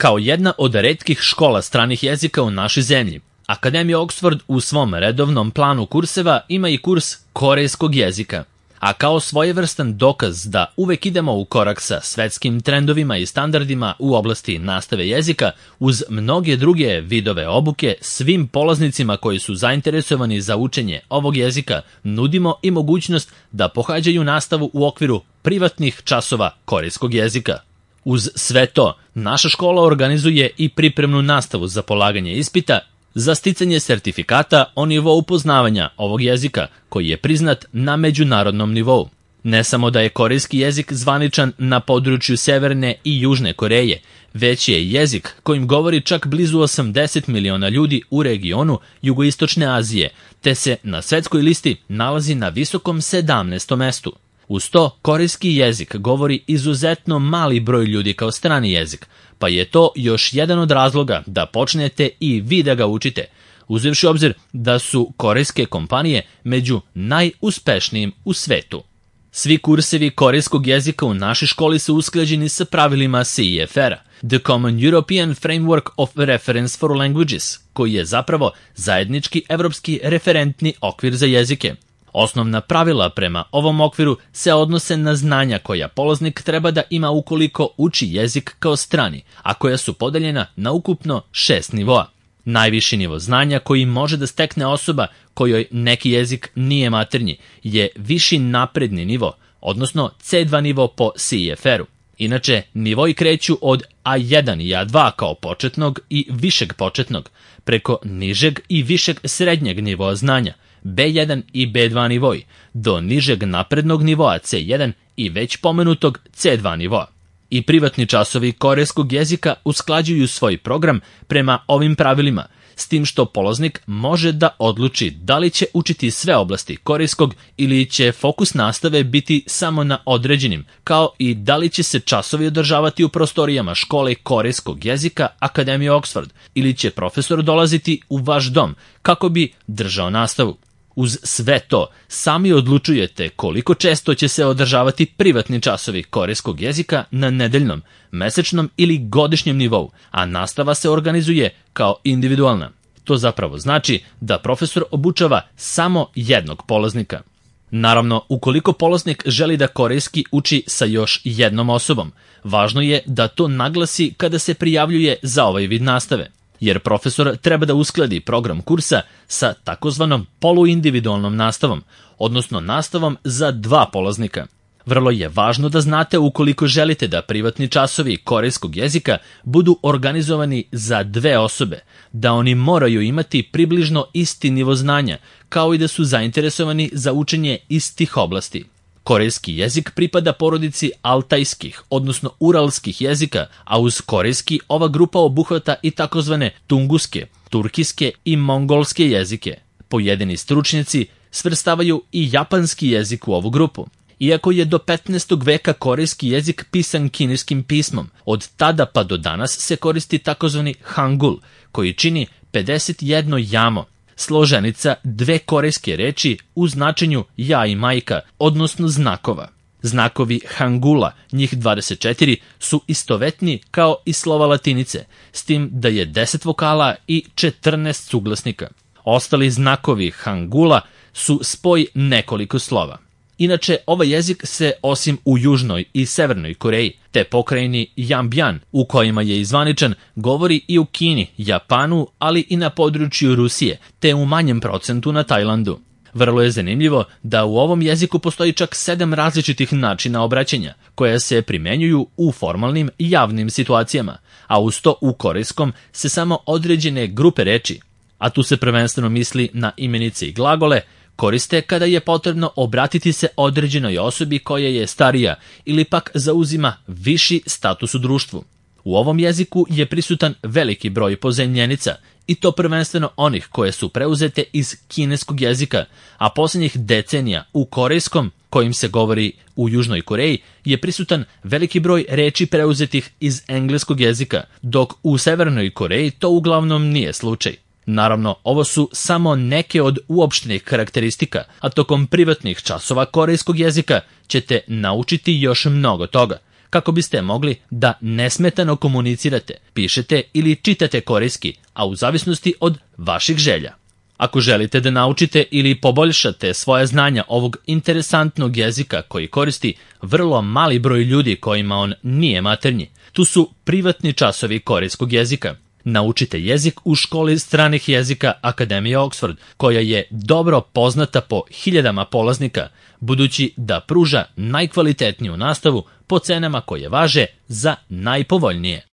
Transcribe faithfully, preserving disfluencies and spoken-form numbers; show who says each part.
Speaker 1: Kao jedna od retkih škola stranih jezika u našoj zemlji, Akademija Oxford u svom redovnom planu kurseva ima i kurs korejskog jezika. A kao svojevrstan dokaz da uvek idemo u korak sa svetskim trendovima i standardima u oblasti nastave jezika, uz mnoge druge vidove obuke, svim polaznicima koji su zainteresovani za učenje ovog jezika nudimo i mogućnost da pohađaju nastavu u okviru privatnih časova korejskog jezika. Uz sve to, naša škola organizuje i pripremnu nastavu za polaganje ispita za sticanje sertifikata o nivou poznavanja ovog jezika, koji je priznat na međunarodnom nivou. Ne samo da je korejski jezik zvaničan na području Severne i Južne Koreje, već je jezik kojim govori čak blizu osamdeset miliona ljudi u regionu Jugoistočne Azije, te se na svetskoj listi nalazi na visokom sedamnaestom mestu. Uz to, korejski jezik govori izuzetno mali broj ljudi kao strani jezik, pa je to još jedan od razloga da počnete i vi da ga učite, uzevši obzir da su korejske kompanije među najuspešnijim u svetu. Svi kursevi korejskog jezika u našoj školi su usklađeni sa pravilima C E F R-a, The Common European Framework of Reference for Languages, koji je zapravo zajednički evropski referentni okvir za jezike. Osnovna pravila prema ovom okviru se odnose na znanja koja polaznik treba da ima ukoliko uči jezik kao strani, a koja su podeljena na ukupno šest nivoa. Najviši nivo znanja koji može da stekne osoba kojoj neki jezik nije maternji je viši napredni nivo, odnosno C dva nivo po C E F R-u. Inače, nivoi kreću od A jedan i A dva kao početnog i višeg početnog, preko nižeg i višeg srednjeg nivoa znanja, B jedan i B dva nivoi, do nižeg naprednog nivoa C jedan i već pomenutog C dva nivoa. I privatni časovi korejskog jezika usklađuju svoj program prema ovim pravilima, s tim što polaznik može da odluči da li će učiti sve oblasti korejskog ili će fokus nastave biti samo na određenim, kao i da li će se časovi održavati u prostorijama škole korejskog jezika Akademije Oxford ili će profesor dolaziti u vaš dom kako bi držao nastavu. Uz sve to, sami odlučujete koliko često će se održavati privatni časovi korejskog jezika na nedeljnom, mesečnom ili godišnjem nivou, a nastava se organizuje kao individualna. To zapravo znači da profesor obučava samo jednog polaznika. Naravno, ukoliko polaznik želi da korejski uči sa još jednom osobom, važno je da to naglasi kada se prijavljuje za ovaj vid nastave, jer profesor treba da uskladi program kursa sa takozvanom poluindividualnom nastavom, odnosno nastavom za dva polaznika. Vrlo je važno da znate ukoliko želite da privatni časovi korejskog jezika budu organizovani za dve osobe, da oni moraju imati približno isti nivo znanja, kao i da su zainteresovani za učenje istih oblasti. Korejski jezik pripada porodici altajskih, odnosno uralskih jezika, a uz korejski ova grupa obuhvata i takozvane tunguske, turkiske i mongolske jezike. Pojedini stručnjaci svrstavaju i japanski jezik u ovu grupu. Iako je do petnaestog veka korejski jezik pisan kineskim pismom, od tada pa do danas se koristi takozvani hangul, koji čini pedeset jedno jamo, složenica dve korejske reči u značenju ja i majka, odnosno znakova. Znakovi hangula, njih dvadeset četiri, su istovetni kao i slova latinice, s tim da je deset vokala i četrnaest suglasnika. Ostali znakovi hangula su spoj nekoliko slova. Inače, ovaj jezik se osim u Južnoj i Severnoj Koreji, te pokrajini Jambjan, u kojima je izvaničan, govori i u Kini, Japanu, ali i na području Rusije, te u manjem procentu na Tajlandu. Vrlo je zanimljivo da u ovom jeziku postoji čak sedam različitih načina obraćanja, koja se primenjuju u formalnim i javnim situacijama, a uz to u korejskom se samo određene grupe reči, a tu se prvenstveno misli na imenice i glagole, koriste kada je potrebno obratiti se određenoj osobi koja je starija ili pak zauzima viši status u društvu. U ovom jeziku je prisutan veliki broj pozajmljenica, i to prvenstveno onih koje su preuzete iz kineskog jezika, a posljednjih decenija u korejskom, kojim se govori u Južnoj Koreji, je prisutan veliki broj reči preuzetih iz engleskog jezika, dok u Severnoj Koreji to uglavnom nije slučaj. Naravno, ovo su samo neke od uopštenih karakteristika, a tokom privatnih časova korejskog jezika ćete naučiti još mnogo toga, kako biste mogli da nesmetano komunicirate, pišete ili čitate korejski, a u zavisnosti od vaših želja. Ako želite da naučite ili poboljšate svoje znanja ovog interesantnog jezika koji koristi vrlo mali broj ljudi kojima on nije maternji, tu su privatni časovi korejskog jezika. Naučite jezik u školi stranih jezika Akademije Oxford, koja je dobro poznata po hiljadama polaznika, budući da pruža najkvalitetniju nastavu po cenama koje važe za najpovoljnije.